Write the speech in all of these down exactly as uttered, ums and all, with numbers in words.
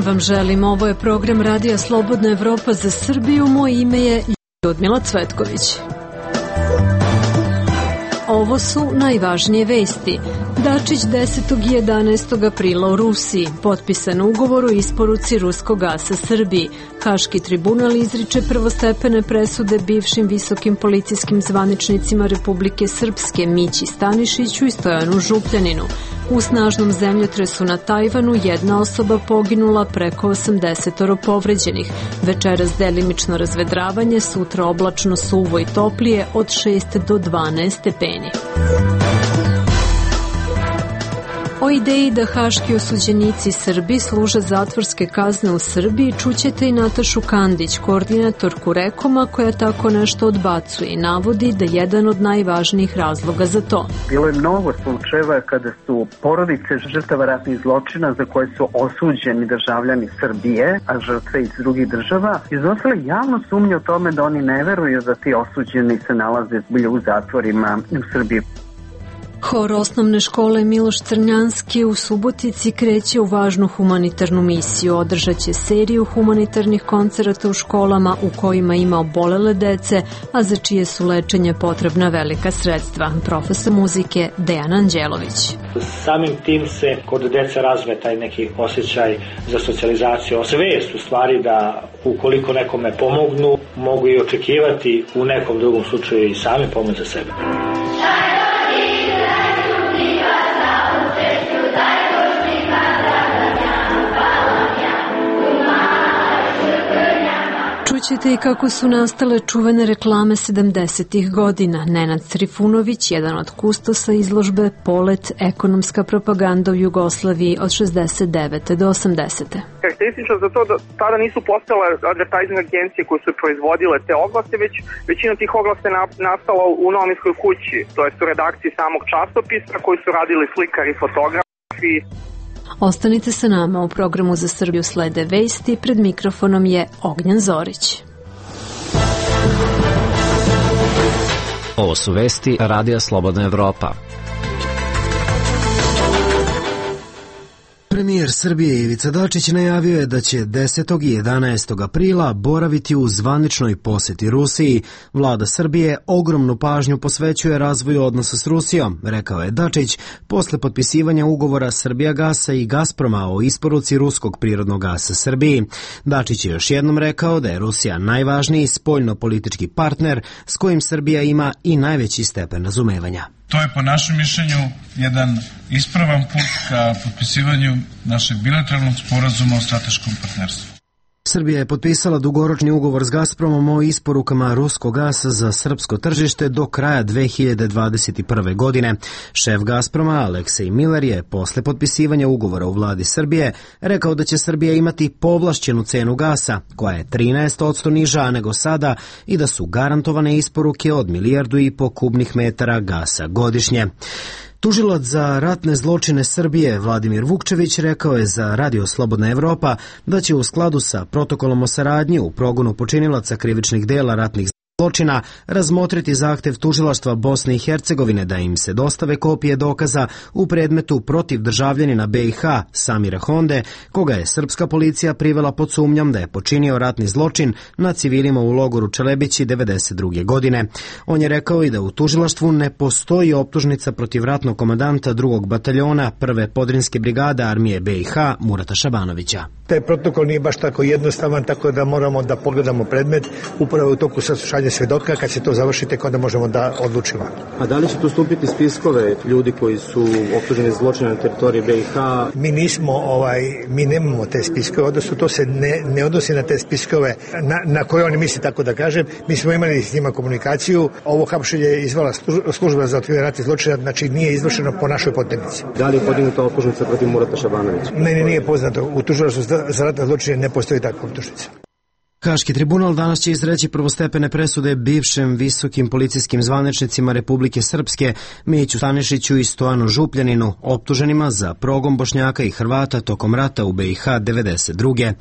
vam želim. Ovo je program Radija Slobodna Evropa za Srbiju. Moje ime je Ljudmila Cvetković. Ovo su najvažnije vesti. Dačić desetog i jedanaestog aprila u Rusiji. Potpisan ugovor o isporuci ruskog gasa Srbiji. Haški tribunal izriče prvostepene presude bivšim visokim policijskim zvaničnicima Republike Srpske Mići Stanišiću i Stojanu Župljaninu. U snažnom zemljotresu na Tajvanu jedna osoba poginula, preko osamdesetoro povređenih. Večeras delimično razvedravanje, sutra oblačno, suvo i toplije od šest do dvanaest stepeni. O ideji da haški osuđenici Srbi služe zatvorske kazne u Srbiji čućete i Natašu Kandić, koordinatorku Rekoma, koja tako nešto odbacuje i navodi da jedan od najvažnijih razloga za to. Bilo je mnogo slučajeva kada su porodice žrtava ratnih zločina za koje su osuđeni državljani Srbije, a žrtve iz drugih država, iznosile javno sumnje o tome da oni ne veruju da ti osuđeni se nalaze zbilja u zatvorima u Srbiji. Hor osnovne škole Miloš Crnjanski u Subotici kreće u važnu humanitarnu misiju. Održaće seriju humanitarnih koncerata u školama u kojima ima obolele dece, a za čije su lečenje potrebna velika sredstva. Profesor muzike Dejan Anđelović. Samim tim se kod dece razve taj neki osjećaj za socijalizaciju. Svest u stvari da ukoliko nekome pomognu, mogu i očekivati u nekom drugom slučaju i sami pomoć za sebe. Čućete i kako su nastale čuvene reklame sedamdesetih godina. Nenad Trifunović, jedan od kustosa izložbe Polet, ekonomska propaganda u Jugoslaviji od šezdeset devete do osamdesete. Karakteristično za to da tada nisu postale advertising agencije koje su proizvodile te oglase, već većina tih oglasa je nastala u novinskoj kući, to jest u redakciji samog časopisa koji su radili slikari i fotografi. Ostanite sa nama, u programu Za Srbiju slede vesti, pred mikrofonom je Ognjan Zorić. Ovo su vesti Radija Slobodna Evropa. Premijer Srbije Ivica Dačić najavio je da će desetog i jedanaestog aprila boraviti u zvaničnoj poseti Rusiji. Vlada Srbije ogromnu pažnju posvećuje razvoju odnosa s Rusijom, rekao je Dačić, posle potpisivanja ugovora Srbijagasa i Gazproma o isporuci ruskog prirodnog gasa Srbiji. Dačić je još jednom rekao da je Rusija najvažniji spoljno-politički partner s kojim Srbija ima i najveći stepen razumevanja. To je po našem mišljenju jedan ispravan put ka potpisivanju našeg bilateralnog sporazuma o strateškom partnerstvu. Srbija je potpisala dugoročni ugovor s Gazpromom o isporukama ruskog gasa za srpsko tržište do kraja dve hiljade dvadeset prve. godine. Šef Gazproma Aleksej Miller je posle potpisivanja ugovora u vladi Srbije rekao da će Srbija imati povlašćenu cenu gasa, koja je trinaest posto niža nego sada, i da su garantovane isporuke od milijardu i po kubnih metara gasa godišnje. Tužilac za ratne zločine Srbije Vladimir Vukčević rekao je za Radio Slobodna Evropa da će u skladu sa protokolom o saradnji u progonu počinilaca krivičnih dela ratnih zločina razmotriti zahtev tužilaštva Bosne i Hercegovine da im se dostave kopije dokaza u predmetu protiv državljanina B i H Samira Honde, koga je srpska policija privela pod sumnjom da je počinio ratni zločin na civilima u logoru Čelebići devedeset druge. godine. On je rekao i da u tužilaštvu ne postoji optužnica protiv ratnog komandanta drugog bataljona prve podrinske brigade armije B i H Murata Šabanovića. Taj protokol nije baš tako jednostavan, tako da moramo da pogledamo predmet upravo u toku saslušanja svedoka. Kad se to završi, tek onda možemo da odlučimo. A da li će tu stupiti spiskove ljudi koji su optuženi za zločine na teritoriji B i H? Mi nismo, ovaj, mi nemamo te spiskove, odnosno to se ne, ne odnosi na te spiskove na, na koje oni misli, tako da kažem. Mi smo imali s njima komunikaciju. Ovo hapšenje je izvala služba za otkrivanje ratnih zločina, znači nije izvršeno po našoj potrebnici. Da li je podignuta optužnica protiv Murata Šabanovića? Meni nije poznato. U tužilaštvu za ratne zločine ne postoji takva optužnica. Haški tribunal danas će izreći prvostepene presude bivšim visokim policijskim zvaničnicima Republike Srpske Miću Stanišiću i Stojanu Župljaninu, optuženima za progon Bošnjaka i Hrvata tokom rata u B i H devedeset druge.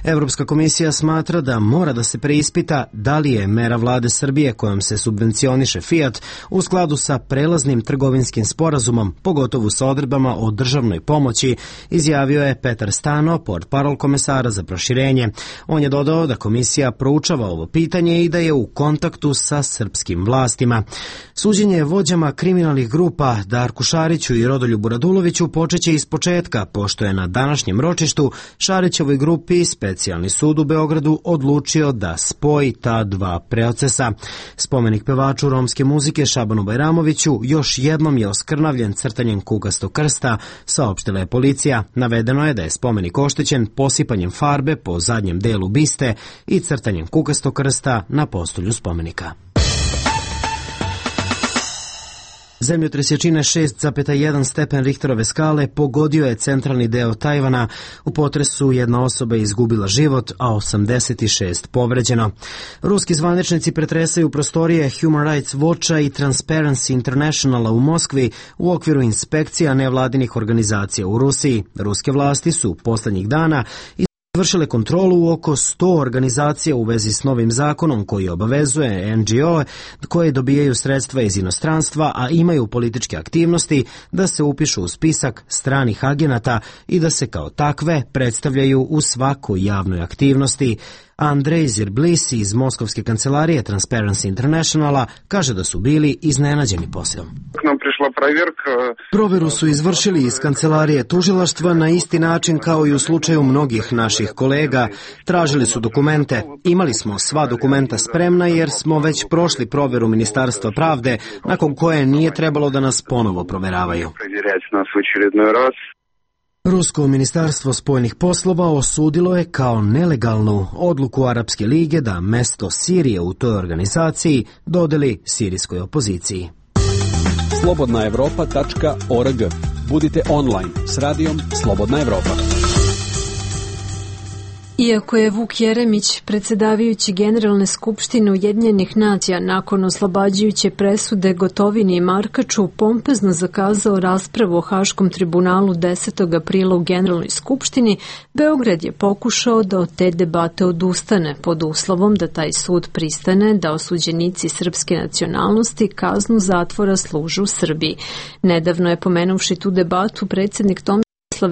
Evropska komisija smatra da mora da se preispita da li je mera vlade Srbije kojom se subvencioniše Fiat u skladu sa prelaznim trgovinskim sporazumom, pogotovo sa odredbama o državnoj pomoći, izjavio je Petar Stano, portparol komesara za proširenje. On je dodao da komisija proučava ovo pitanje i da je u kontaktu sa srpskim vlastima. Suđenje vođama kriminalnih grupa Darku Šariću i Rodoljubu Raduloviću počeće iz početka, pošto je na današnjem ročištu Šarićevoj grupi Specijalni sud u Beogradu odlučio da spoji ta dva procesa. Spomenik pevaču romske muzike Šabanu Bajramoviću još jednom je oskrnavljen crtanjem kukastog krsta, saopštila je policija. Navedeno je da je spomenik oštećen posipanjem farbe po zadnjem delu biste i crtanjem kukastog krsta na postolju spomenika. Zemljotres jačine šest zarez jedan stepen Richterove skale pogodio je centralni deo Tajvana. U potresu jedna osoba je izgubila život, a osamdeset šest povređeno. Ruski zvaničnici pretresaju prostorije Human Rights Watcha i Transparency Internationala u Moskvi u okviru inspekcija nevladinih organizacija u Rusiji. Ruske vlasti su poslednjih dana vršile kontrolu u oko sto organizacija u vezi s novim zakonom koji obavezuje en ge o koje dobijaju sredstva iz inostranstva, a imaju političke aktivnosti, da se upišu u spisak stranih agenata i da se kao takve predstavljaju u svakoj javnoj aktivnosti. Andrej Zirblisi iz Moskovske kancelarije Transparency Internationala kaže da su bili iznenađeni poslom. Proveru su izvršili iz kancelarije tužilaštva na isti način kao i u slučaju mnogih naših kolega. Tražili su dokumente. Imali smo sva dokumenta spremna jer smo već prošli proveru Ministarstva pravde, nakon koje nije trebalo da nas ponovo proveravaju. Rusko ministarstvo spoljnih poslova osudilo je kao nelegalnu odluku Arapske lige da mesto Sirije u toj organizaciji dodeli sirijskoj opoziciji. slobodna evropa tačka org. Budite online s radijom Slobodna Evropa. Iako je Vuk Jeremić, predsedavajući Generalne skupštine Ujedinjenih nacija, nakon oslobađajuće presude Gotovini i Markaču pompezno zakazao raspravu o Haškom tribunalu desetog aprila u Generalnoj skupštini, Beograd je pokušao da od te debate odustane pod uslovom da taj sud pristane da osuđenici srpske nacionalnosti kaznu zatvora služe u Srbiji. Nedavno je, pomenuvši tu debatu, predsjednik Tomislav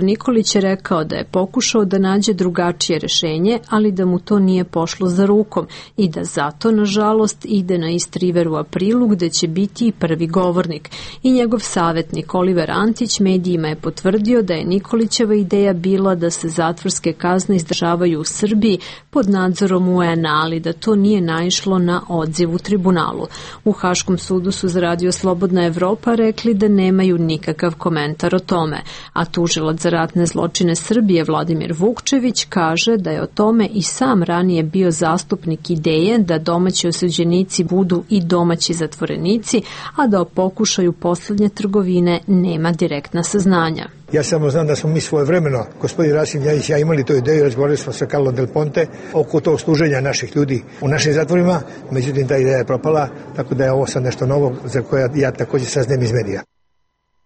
Nikolić je rekao da je pokušao da nađe drugačije rešenje, ali da mu to nije pošlo za rukom i da zato, nažalost, ide na East River u aprilu, gde će biti i prvi govornik. I njegov savjetnik Oliver Antić medijima je potvrdio da je Nikolićeva ideja bila da se zatvorske kazne izdržavaju u Srbiji pod nadzorom U En A, ali da to nije naišlo na odziv u tribunalu. U Haškom sudu su za Radio Slobodna Evropa rekli da nemaju nikakav komentar o tome, a tužilac za ratne zločine Srbije Vladimir Vukčević kaže da je o tome i sam ranije bio zastupnik ideje da domaći osuđenici budu i domaći zatvorenici, a da o pokušaju poslednje trgovine nema direktna saznanja. Ja samo znam da smo mi svoje vremeno, gospodin Rasim Ljajić i ja, imali tu ideju, razgovarali smo sa Carlo Del Ponte oko tog služenja naših ljudi u našim zatvorima, međutim ta ideja je propala, tako da je ovo sad nešto novo za koje ja također saznajem iz medija.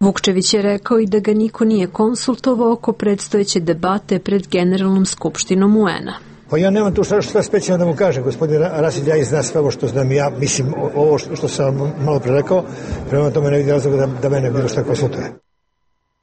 Vukčević je rekao i da ga niko nije konsultovao oko predstojeće debate pred Generalnom skupštinom U En A. Pa ja nemam tu šta, šta specijalno da mu kažem. Gospodin Rasim Ljajić zna sve ovo što znam ja, mislim ovo što, što sam malo pre rekao, prema tome ne vidim razloga da, da mene bilo šta konsultuje.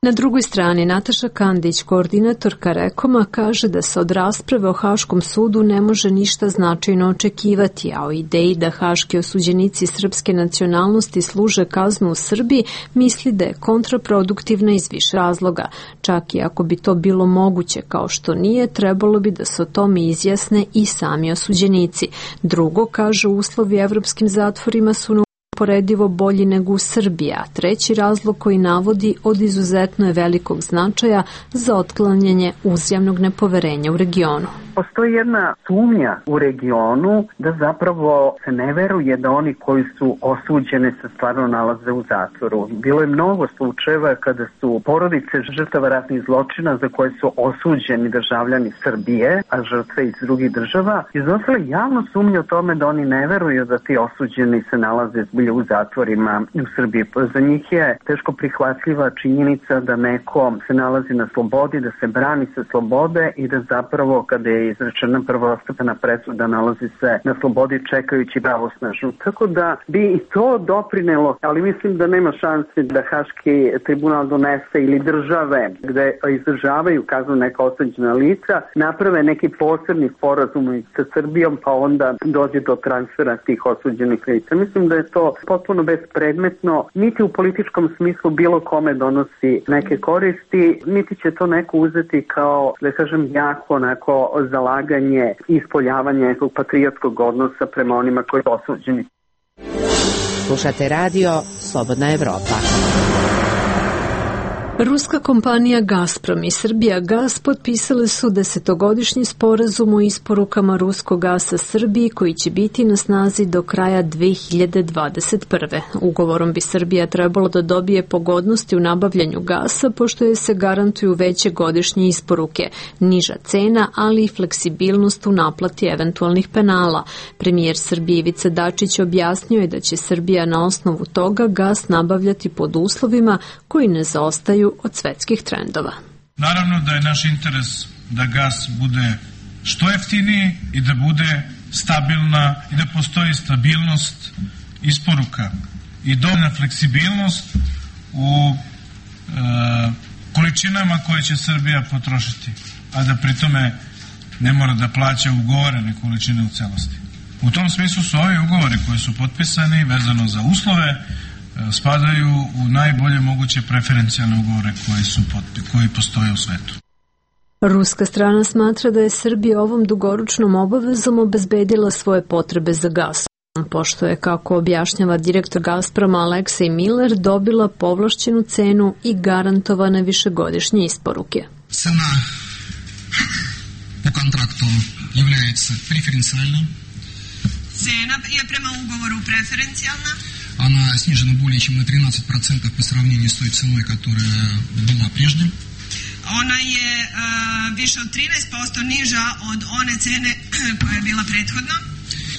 Na drugoj strani Nataša Kandić, koordinatorka Rekoma, kaže da se od rasprave o Haškom sudu ne može ništa značajno očekivati, a o ideji da haški osuđenici srpske nacionalnosti služe kaznu u Srbiji misli da je kontraproduktivna iz više razloga. Čak i ako bi to bilo moguće, kao što nije, trebalo bi da se o tome izjasne i sami osuđenici. Drugo, kaže, uslovi evropskim zatvorima su poredivo bolji nego u Srbiji, a treći razlog koji navodi od izuzetno je velikog značaja za otklanjanje uzajamnog nepoverenja u regionu. Postoji jedna sumnja u regionu da zapravo se ne veruje da oni koji su osuđeni se stvarno nalaze u zatvoru. Bilo je mnogo slučajeva kada su porodice žrtava ratnih zločina za koje su osuđeni državljani Srbije, a žrtve iz drugih država, iznosile javno sumnje o tome da oni ne veruju da ti osuđeni se nalaze zbilja u zatvorima u Srbiji. Za njih je teško prihvatljiva činjenica da neko se nalazi na slobodi, da se brani sa slobode i da zapravo kada je izrečena prvostepena presuda nalazi se na slobodi čekajući pravosnažnu. Tako da bi i to doprinelo, ali mislim da nema šanse da Haški tribunal donese ili države gde izdržavaju kaznu neka osuđena lica naprave neki posebni sporazum sa Srbijom pa onda dođe do transfera tih osuđenih lica. Mislim da je to potpuno bespredmetno, niti u političkom smislu bilo kome donosi neke koristi, niti će to neko uzeti kao, da kažem, jako onako zalaganje i ispoljavanje nekog patriotskog odnosa prema onima koji su osuđeni. Slušate radio Slobodna Evropa. Ruska kompanija Gazprom i Srbijagas potpisale su desetogodišnji sporazum o isporukama ruskog gasa Srbiji koji će biti na snazi do kraja dve hiljade dvadeset prve. Ugovorom bi Srbija trebalo da dobije pogodnosti u nabavljanju gasa pošto je se garantuju veće godišnje isporuke, niža cena, ali i fleksibilnost u naplati eventualnih penala. Premijer Srbije Ivica Dačić objasnio je da će Srbija na osnovu toga gas nabavljati pod uslovima koji ne zaostaju od svetskih trendova. Naravno da je naš interes da gas bude što jeftiniji i da bude stabilna i da postoji stabilnost isporuka i dovoljna fleksibilnost u e, količinama koje će Srbija potrošiti, a da pritome ne mora da plaća ugovorene količine u celosti. U tom smislu su ovi ugovori koji su potpisani vezano za uslove spadaju u najbolje moguće preferencijalne ugovore koji, su, koji postoje u svetu. Ruska strana smatra da je Srbija ovom dugoročnom obavezom obezbedila svoje potrebe za gas, pošto je, kako objašnjava direktor Gazproma Aleksej Miller, dobila povlašćenu cenu i garantovane višegodišnje isporuke. Cena po kontraktu является преференциальной. Cena je prema ugovoru preferencijalna. Она снижена более чем на тринадцать процентов по сравнению с той ценой, которая была прежде. Ona je uh, više od trinaest posto niža od one cene koja je bila prethodno.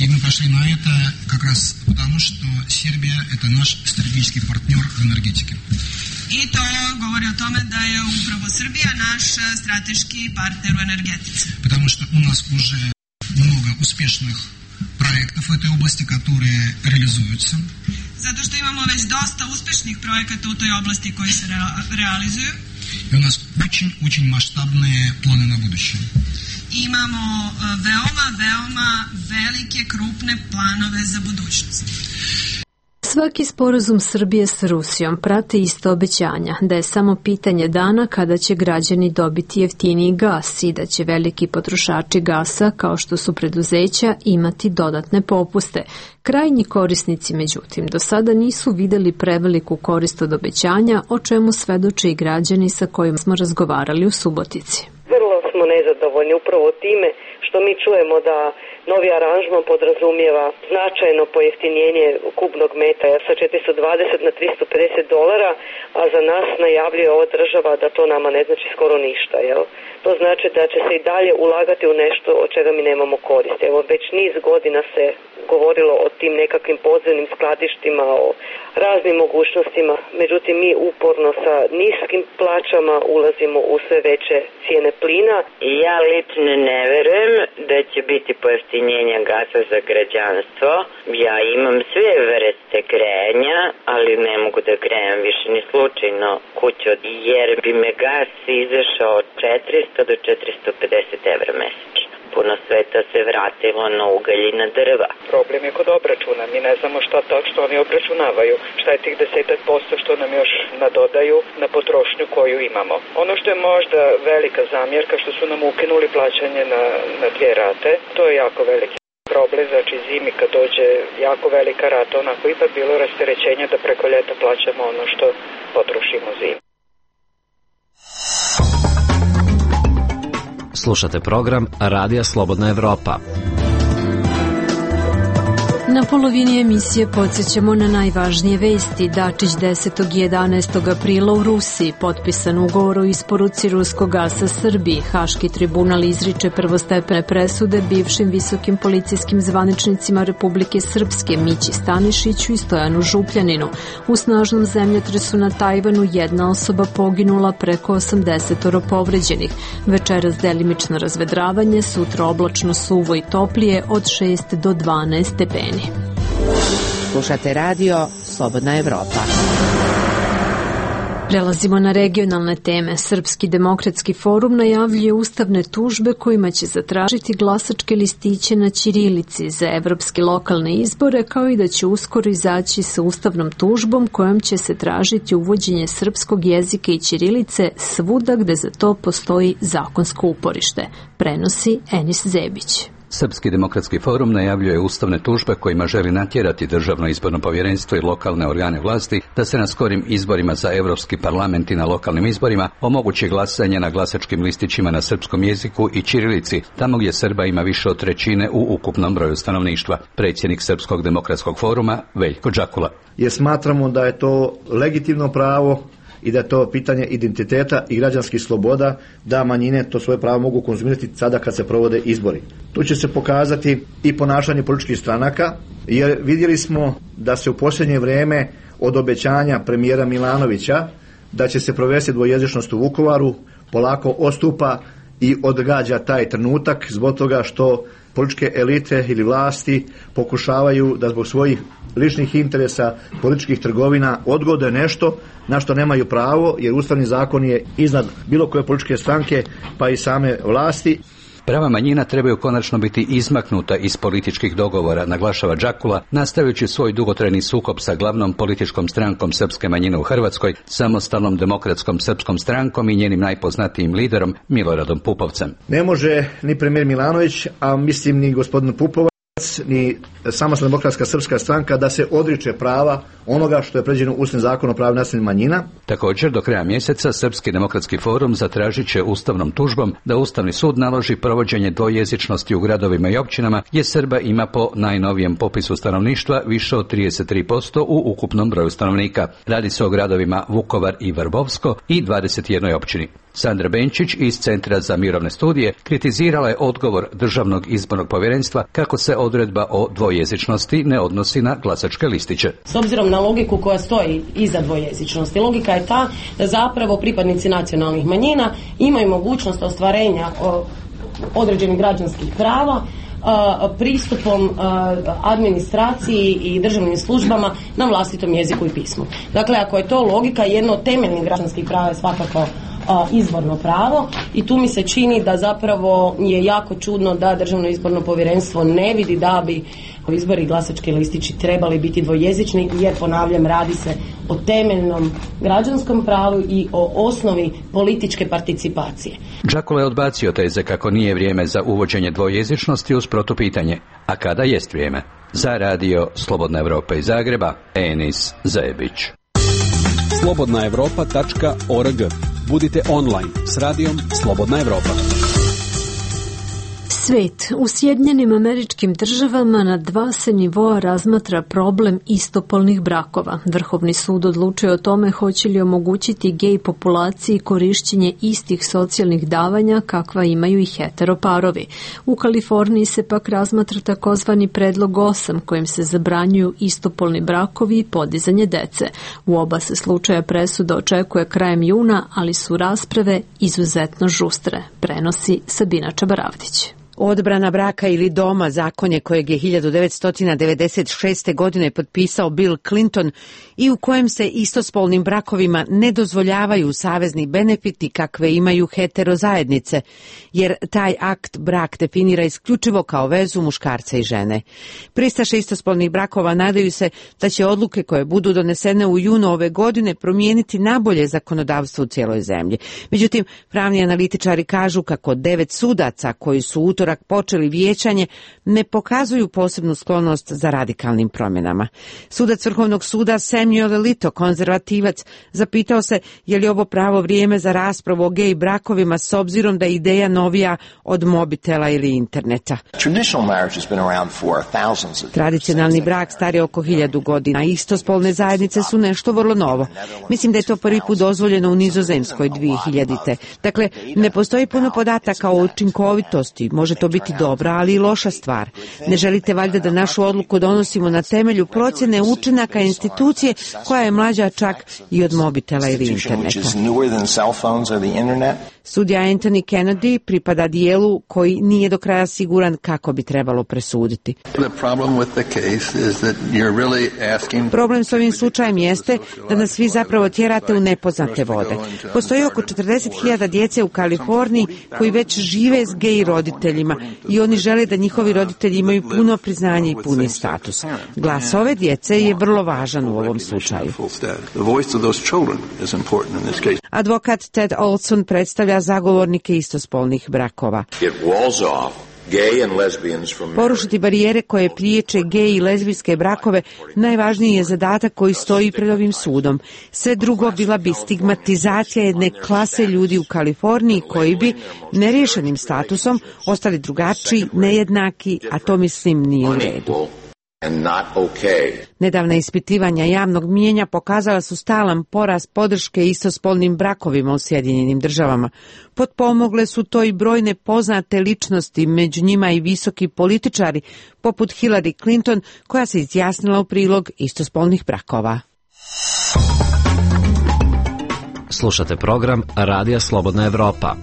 И мы пошли на это как раз потому, что Сербия – это наш стратегический партнер в энергетике. I to govori o tome da je upravo Srbija naš strateški partner u energetici. Потому что у нас уже много успешных проектов в этой области, которые реализуются. Zato što imamo već dosta uspešnih projekata u toj oblasti koji se re- realizuju. И у нас очень-очень масштабные планы на будущее. Imamo veoma, veoma velike, krupne planove za budućnost. Svaki sporazum Srbije sa Rusijom prate ista obećanja da je samo pitanje dana kada će građani dobiti jeftiniji gas i da će veliki potrošači gasa, kao što su preduzeća, imati dodatne popuste. Krajnji korisnici, međutim, do sada nisu videli preveliku korist od obećanja, o čemu svedoče i građani sa kojima smo razgovarali u Subotici. Vrlo smo nezadovoljni upravo time što mi čujemo da novi aranžman podrazumijeva značajno pojeftinjenje kubnog metra sa četiristo dvadeset na tristo pedeset dolara, a za nas najavljuje ova država da to nama ne znači skoro ništa. Jel? To znači da će se i dalje ulagati u nešto od čega mi nemamo korist. Evo, već niz godina se govorilo o tim nekakvim podzemnim skladištima, o raznim mogućnostima, međutim mi uporno sa niskim plaćama ulazimo u sve veće cijene plina. Ja lično ne verujem da će biti pojeftinjenja gasa za građanstvo. Ja imam sve vrste grejanja, ali ne mogu da grejem više ni slučajno kuću, jer bi me gas izašao od četiristo do četiristo pedeset evra mesečno. Puno sveta se vratilo na ugalj i na drva. Problem je kod obračuna. Mi ne znamo šta tačno oni obračunavaju. Šta je tih desetak posto što nam još nadodaju na potrošnju koju imamo. Ono što je možda velika zamjerka što su nam ukinuli plaćanje na, na dvije rate, to je jako veliki problem. Znači zimi kad dođe jako velika rata, onako ipak bilo rasterećenje da preko ljeta plaćamo ono što potrošimo zimi. Slušate program Radija Slobodna Evropa. Na polovini emisije podsjećamo na najvažnije vesti. Dačić desetog i jedanaestog aprila u Rusiji, potpisan ugovor o isporuci ruskog gasa Srbiji. Haški tribunal izriče prvostepene presude bivšim visokim policijskim zvaničnicima Republike Srpske Mići Stanišiću i Stojanu Župljaninu. U snažnom zemljotresu na Tajvanu jedna osoba poginula, preko osamdesetoro povređenih. Večeras delimično razvedravanje, sutra oblačno, suvo i toplije od šest do dvanaest stepeni. Slušate radio Slobodna Evropa. Prelazimo na regionalne teme. Srpski demokratski forum najavljuje ustavne tužbe kojima će zatražiti glasačke listiće na ćirilici za evropske lokalne izbore, kao i da će uskoro izaći sa ustavnom tužbom kojom će se tražiti uvođenje srpskog jezika i ćirilice svuda gde za to postoji zakonsko uporište. Prenosi Enis Zebić. Srpski demokratski forum najavljuje ustavne tužbe kojima želi natjerati Državno izborno povjerenstvo i lokalne organe vlasti da se na skorim izborima za Evropski parlament i na lokalnim izborima omogući glasanje na glasačkim listićima na srpskom jeziku i ćirilici, tamo gdje Srba ima više od trećine u ukupnom broju stanovništva. Predsjednik Srpskog demokratskog foruma Veljko Džakula. Jer smatramo da je to legitimno pravo i da je to pitanje identiteta i građanskih sloboda, da manjine to svoje pravo mogu konzumirati sada kad se provode izbori. Tu će se pokazati i ponašanje političkih stranaka, jer vidjeli smo da se u posljednje vrijeme od obećanja premijera Milanovića da će se provesti dvojezičnost u Vukovaru polako odstupa i odgađa taj trenutak zbog toga što političke elite ili vlasti pokušavaju da zbog svojih ličnih interesa, političkih trgovina odgode nešto na što nemaju pravo, jer ustavni zakon je iznad bilo koje političke stranke pa i same vlasti. Prava manjina trebaju konačno biti izmaknuta iz političkih dogovora, naglašava Džakula, nastavljajući svoj dugotrajni sukob sa glavnom političkom strankom srpske manjine u Hrvatskoj, Samostalnom demokratskom srpskom strankom i njenim najpoznatijim liderom Miloradom Pupovcem. Ne može ni premijer Milanović, a mislim ni gospodin Pupovac, ni Samostalna demokratska srpska stranka da se odriče prava onoga što je predviđeno Ustavnim zakonom o pravima nacionalnih manjina. Također, do kraja mjeseca Srpski demokratski forum zatražit će ustavnom tužbom da Ustavni sud naloži provođenje dvojezičnosti u gradovima i općinama gdje Srba ima po najnovijem popisu stanovništva više od trideset tri posto u ukupnom broju stanovnika. Radi se o gradovima Vukovar i Vrbovsko i dvadeset jednoj općini. Sandra Benčić iz Centra za mirovne studije kritizirala je odgovor Državnog izbornog povjerenstva kako se odredba o dvojezičnosti ne odnosi na glasačke listiće. S obzirom na logiku koja stoji iza dvojezičnosti, logika je ta da zapravo pripadnici nacionalnih manjina imaju mogućnost ostvarenja određenih građanskih prava pristupom administraciji i državnim službama na vlastitom jeziku i pismu. Dakle, ako je to logika, jedno od temeljnih građanskih prava je svakako izborno pravo i tu mi se čini da zapravo je jako čudno da Državno izborno povjerenstvo ne vidi da bi izbori i glasački listići trebali biti dvojezični, jer ponavljam, radi se o temeljnom građanskom pravu i o osnovi političke participacije. Džakula je odbacio teze kako nije vrijeme za uvođenje dvojezičnosti uz protupitanje. A kada jest vrijeme? Za radio Slobodna Evropa iz Zagreba, Enis Zebić. slobodna evropa tačka org. Budite online s radijom Slobodna Evropa. Svet. U Sjedinjenim Američkim Državama na dva se nivoa razmatra problem istopolnih brakova. Vrhovni sud odlučuje o tome hoće li omogućiti gej populaciji korišćenje istih socijalnih davanja kakva imaju i heteroparovi. U Kaliforniji se pak razmatra takozvani predlog osam kojim se zabranjuju istopolni brakovi i podizanje dece. U oba se slučaja presuda očekuje krajem juna, ali su rasprave izuzetno žustre, prenosi Sabina Čabaravdić. Odbrana braka ili doma, zakonje kojeg je hiljadu devetsto devedeset šeste. godine potpisao Bill Clinton i u kojem se istospolnim brakovima ne dozvoljavaju savezni benefiti kakve imaju heterozajednice, jer taj akt brak definira isključivo kao vezu muškarca i žene. Pristaše istospolnih brakova nadaju se da će odluke koje budu donesene u junu ove godine promijeniti nabolje zakonodavstvo u cijeloj zemlji. Međutim, pravni analitičari kažu kako devet sudaca koji su utorak utorak počeli vijećanje, ne pokazuju posebnu sklonost za radikalnim promjenama. Sudac Vrhovnog suda Samuel Alito, konzervativac, zapitao se je li ovo pravo vrijeme za raspravu o gej brakovima s obzirom da je ideja novija od mobitela ili interneta. Tradicionalni brak star je oko hiljadu godina, istospolne zajednice su nešto vrlo novo. Mislim da je to prvi put dozvoljeno u Nizozemskoj dvije hiljadite. Dakle, ne postoji puno podataka o učinkovitosti, može to biti dobra, ali i loša stvar. Ne želite valjda da našu odluku donosimo na temelju procjene učinaka institucije koja je mlađa čak i od mobitela ili interneta. Sudija Anthony Kennedy pripada dijelu koji nije do kraja siguran kako bi trebalo presuditi. Problem s ovim slučajem jeste da nas svi zapravo tjerate u nepoznate vode. Postoji oko četrdeset hiljada djece u Kaliforniji koji već žive s gej roditeljima i oni žele da njihovi roditelji imaju puno priznanje i puni status. Glas ove djece je vrlo važan u ovom slučaju. Advokat Ted Olson predstavlja zagovornike istospolnih brakova. Porušiti barijere koje priječe gej i lezbijske brakove najvažniji je zadatak koji stoji pred ovim sudom. Sve drugo bila bi stigmatizacija jedne klase ljudi u Kaliforniji koji bi neriješenim statusom ostali drugačiji, nejednaki, a to mislim nije u redu. Nedavna ispitivanja javnog mijenja pokazala su stalan porast podrške istospolnim brakovima u Sjedinjenim državama. Potpomogle su to i brojne poznate ličnosti, među njima i visoki političari, poput Hillary Clinton, koja se izjasnila u prilog istospolnih brakova. Slušate program Radija Slobodna Evropa.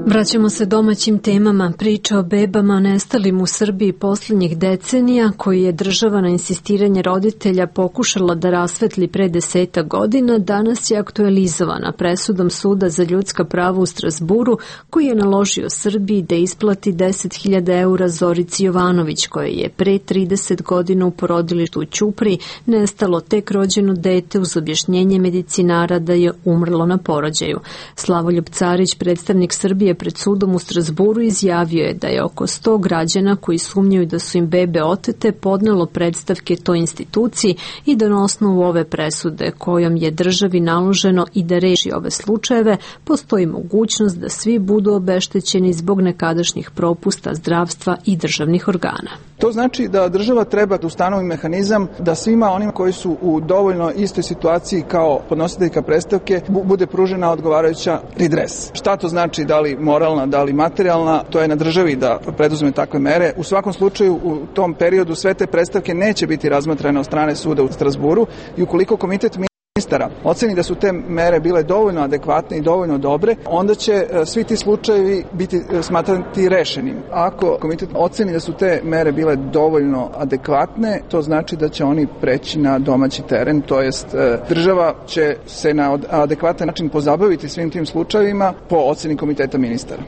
Vraćamo se domaćim temama. Priča o bebama nestalim u Srbiji posljednjih decenija, koji je država na insistiranje roditelja pokušala da rasvetli pre desetak godina, danas je aktualizovana presudom Suda za ljudska prava u Strazburu, koji je naložio Srbiji da isplati deset hiljada eura Zorici Jovanović, koje je pre trideset godina u porodilištu u Ćupriji nestalo tek rođeno dete uz objašnjenje medicinara da je umrlo na porođaju. Slavoljub Carić, predstavnik Srbije pred sudom u Strazburu, izjavio je da je oko sto građana koji sumnjaju da su im bebe otete podnelo predstavke toj instituciji i da na osnovu ove presude kojom je državi naloženo i da reši ove slučajeve, postoji mogućnost da svi budu obeštećeni zbog nekadašnjih propusta zdravstva i državnih organa. To znači da država treba da ustanovi mehanizam da svima onima koji su u dovoljno istoj situaciji kao podnositeljka predstavke bude pružena odgovarajuća redres. Šta to znači, da li moralna, da li materijalna, to je na državi da preduzme takve mere. U svakom slučaju u tom periodu sve te predstavke neće biti razmatrane od strane suda u Strazburu i ukoliko komitet ministara oceni da su te mere bile dovoljno adekvatne i dovoljno dobre, onda će svi ti slučajevi biti smatrati rešenim. Ako komitet oceni da su te mere bile dovoljno adekvatne, to znači da će oni preći na domaći teren, to jest država će se na adekvatan način pozabaviti svim tim slučajevima po oceni komiteta ministara.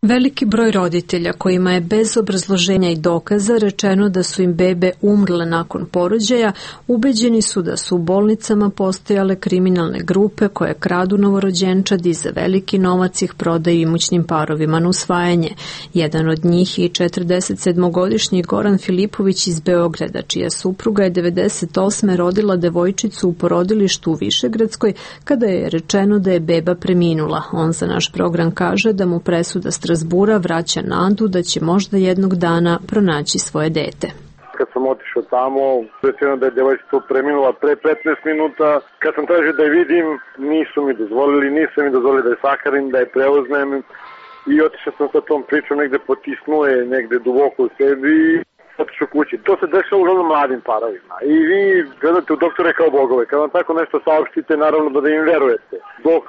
Veliki broj roditelja kojima je bez obrazloženja i dokaza rečeno da su im bebe umrle nakon porođaja, ubeđeni su da su u bolnicama postojale kriminalne grupe koje kradu novorođenčadi za veliki novac ih prodaju imućnim parovima na usvajanje. Jedan od njih je četrdesetsedmogodišnji Goran Filipović iz Beograda, čija supruga je devedeset osme rodila devojčicu u porodilištu u Višegradskoj kada je rečeno da je beba preminula. On za naš program kaže da mu presuda Strazbura vraća nadu da će možda jednog dana pronaći svoje dete. Kad sam otišao tamo, rečeno da je devojčica preminula pre petnaest minuta. Kad sam tražio da je vidim, nisu mi dozvolili, nisu mi dozvolili da je sakarim, da je preuzmem. I otišao sam sa tom pričom, negde potisnuo je, negde duboko u sebi i otišao kući. To se dešava uglavnom mladim parovima. I vi gledate u doktore kao bogove. Kad vam tako nešto saopštite, naravno da im verujete. Dok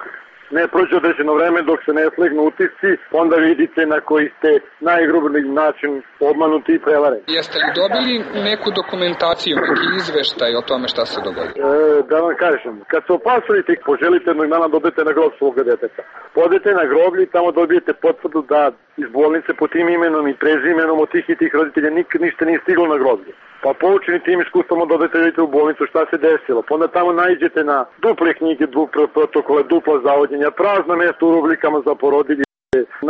ne prođe određeno vreme, dok se ne slegnu utisci, onda vidite na koji ste najgrublji način obmanuti i prevareni. Jeste li dobili neku dokumentaciju, neki izveštaj o tome šta se dogodilo? E, da vam kažem, kad se opasujete i poželite jednog dana dobijete na grob svoga deteta. Podete na groblje i tamo dobijete potvrdu da iz bolnice po tim imenom i prezimenom od tih i tih roditelja nikad ništa nije stiglo na groblje. Pa poučeni tim iskustvom odete u bolnicu šta se desilo. Pa onda tamo naiđete na duple knjige, duple protokole, dupla zavodnjenja, prazna mjesta u rubrikama za porodilje.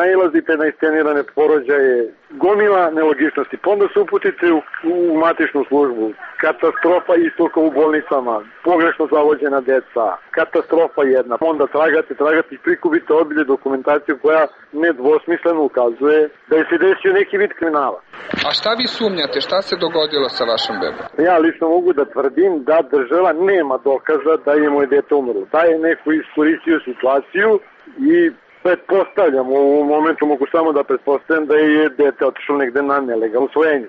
Nailazite na iscenirane porođaje, gomila nelogičnosti, pa onda se uputite u, u matičnu službu, katastrofa istoka u bolnicama, pogrešno zavođena deca, katastrofa jedna, onda tragate, tragate i prikupite obilje dokumentaciju koja nedvosmisleno ukazuje da je se desio neki vid kriminala. A šta vi sumnjate, šta se dogodilo sa vašom bebom? Ja lično mogu da tvrdim da država nema dokaza da je moje dete umrlo. Da je neko iskoristio situaciju i pretpostavljam, u ovom momentu mogu samo da pretpostavljam da je dete otišlo negde na nelegalno usvojenje.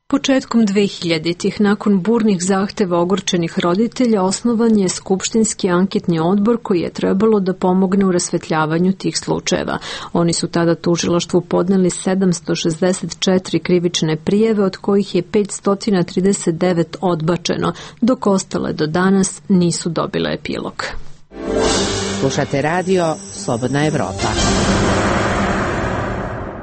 Početkom dvehiljaditih, nakon burnih zahteva ogorčenih roditelja, osnovan je Skupštinski anketni odbor koji je trebalo da pomogne u rasvetljavanju tih slučajeva. Oni su tada tužilaštvu podneli sedamsto šezdeset četiri krivične prijeve, od kojih je petsto trideset devet odbačeno, dok ostale do danas nisu dobile epilog. Slušate radio Slobodna Evropa.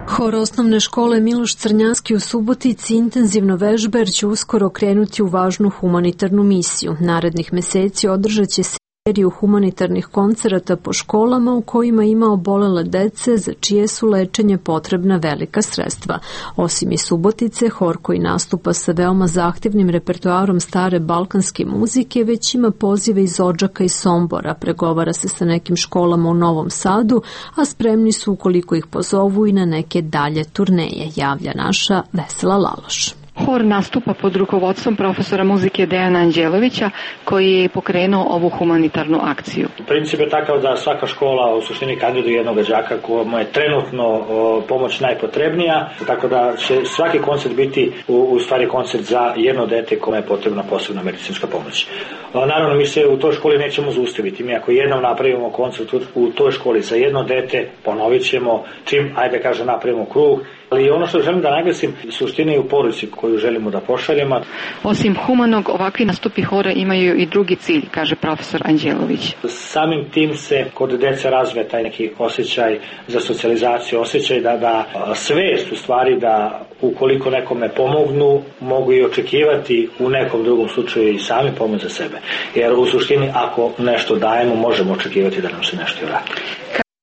Hor osnovne škole Miloš Crnjanski u Subotici intenzivno vežba jer će uskoro krenuti u važnu humanitarnu misiju. Narednih meseci održat će seriju humanitarnih koncerata po školama u kojima ima obolele dece za čije su lečenje potrebna velika sredstva. Osim i Subotice, hor koji nastupa sa veoma zahtevnim repertoarom stare balkanske muzike već ima pozive iz Odžaka i Sombora, pregovara se sa nekim školama u Novom Sadu, a spremni su ukoliko ih pozovu i na neke dalje turneje, javlja naša Vesela Laloš. Hor nastupa pod rukovodstvom profesora muzike Dejana Anđelovića koji je pokrenuo ovu humanitarnu akciju. Princip je takav da svaka škola u suštini kandiduje jednog đaka kojemu je trenutno o, pomoć najpotrebnija, tako da će svaki koncert biti u, u stvari koncert za jedno dete kome je potrebna posebna medicinska pomoć. O, naravno, mi se u toj školi nećemo zaustaviti. Mi ako jednom napravimo koncert u, u toj školi za jedno dete, ponovit ćemo čim, ajde kaže, napravimo krug. Ali ono što želim da naglasim, suština je u poruci koju želimo da pošaljemo. Osim humanog, ovakvi nastupi hora imaju i drugi cilj, kaže profesor Anđelović. Samim tim se kod dece razvije taj neki osjećaj za socijalizaciju, osjećaj da, da svest u stvari da ukoliko nekome pomognu, mogu i očekivati u nekom drugom slučaju i sami pomoć za sebe. Jer u suštini ako nešto dajemo, možemo očekivati da nam se nešto i vrati.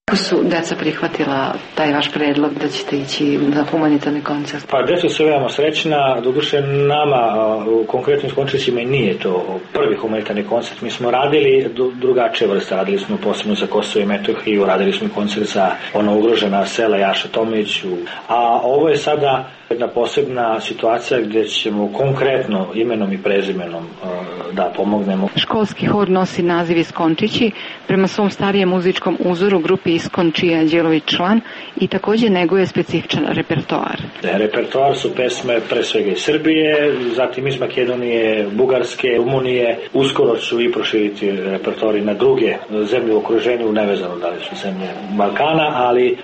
Kako su deca prihvatila taj vaš predlog da ćete ići na humanitarni koncert? Pa deca su veoma srećna, doduše nama u konkretnim koncertima i nije to prvi humanitarni koncert. Mi smo radili drugačije vrste, radili smo posebno za Kosovo i Metohiju, radili smo koncert za ono ugrožena sela Jaša Tomić, a ovo je sada jedna posebna situacija gdje ćemo konkretno imenom i prezimenom da pomognemo. Školski hor nosi naziv Iskončići, prema svom starijem muzičkom uzoru grupi Iskon čiji je Anđelović član i također neguje specifičan repertoar. Repertoar su pesme pre svega iz Srbije, zatim iz Makedonije, Bugarske, Rumunije. Uskoro ću i proširiti repertoari na druge zemlje u okruženju, nevezano da li su zemlje Balkana, ali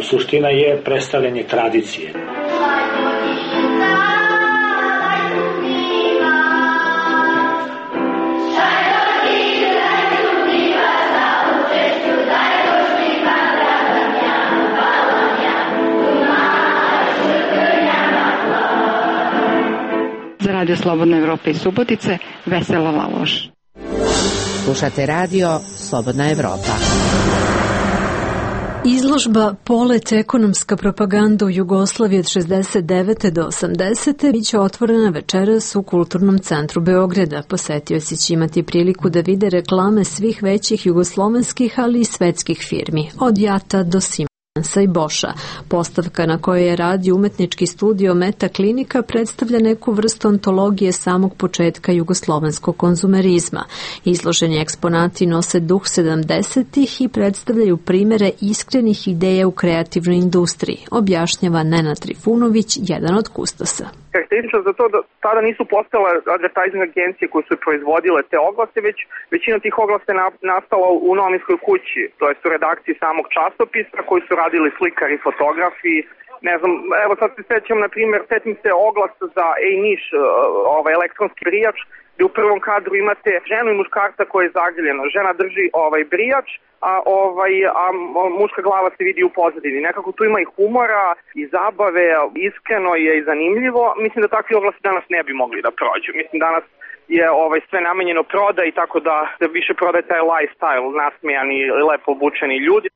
suština je predstavljanje tradicije. Za Radio Slobodna Evropa iz Subotice, Vesela Laloš. Slušate radio Slobodna Evropa. Izložba Polet ekonomska propaganda u Jugoslaviji od šezdeset devete do osamdesete biće otvorena večeras u Kulturnom centru Beograda. Posetioci će imati priliku da vide reklame svih većih jugoslovenskih, ali i svetskih firmi, od Jata do Sima i Boša. Postavka na kojoj je radi umetnički studio Meta Klinika predstavlja neku vrstu antologije samog početka jugoslovenskog konzumerizma. Izloženi eksponati nose duh sedamdesetih i predstavljaju primere iskrenih ideja u kreativnoj industriji, objašnjava Nenad Trifunović, jedan od kustosa. Karakteristično za to da tada nisu postale advertising agencije koje su proizvodile te oglase, već većina tih oglasa je nastala u novinskoj kući, to jest u redakciji samog časopisa koji su radili slikari, fotografi. Ne znam, evo sad se sećam, na primjer, setim se oglas za Ej Niš, ovaj elektronski brijač, gdje u prvom kadru imate ženu i muškarca koje je zagrljeno. Žena drži ovaj brijač, a ovaj a muška glava se vidi u pozadini. Nekako tu ima i humora i zabave, iskreno je i zanimljivo. Mislim da takvi oglasi danas ne bi mogli da prođu. Mislim danas je ovaj sve namenjeno prodaji, tako da se više prodaje taj lifestyle, nasmejani, lepo obučeni ljudi.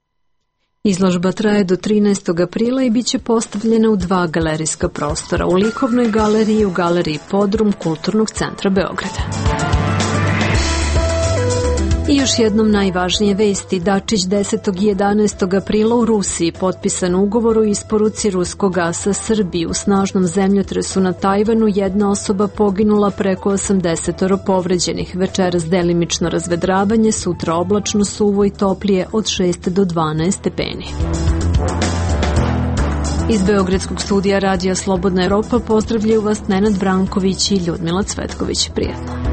Izložba traje do trinaestog aprila i bit će postavljena u dva galerijska prostora, u Likovnoj galeriji i u galeriji Podrum Kulturnog centra Beograda. I još jednom najvažnije vesti. Dačić desetog i jedanaestog aprila u Rusiji potpisan ugovor o isporuci ruskog gasa Srbiji. U snažnom zemljotresu na Tajvanu jedna osoba poginula, preko osamdeset povređenih. Večeras delimično razvedravanje, sutra oblačno, suvo i toplije od šest do dvanaest stepeni. Iz Beogradskog studija Radija Slobodna Evropa pozdravljaju vas Nenad Branković i Ljudmila Cvetković. Prijetno.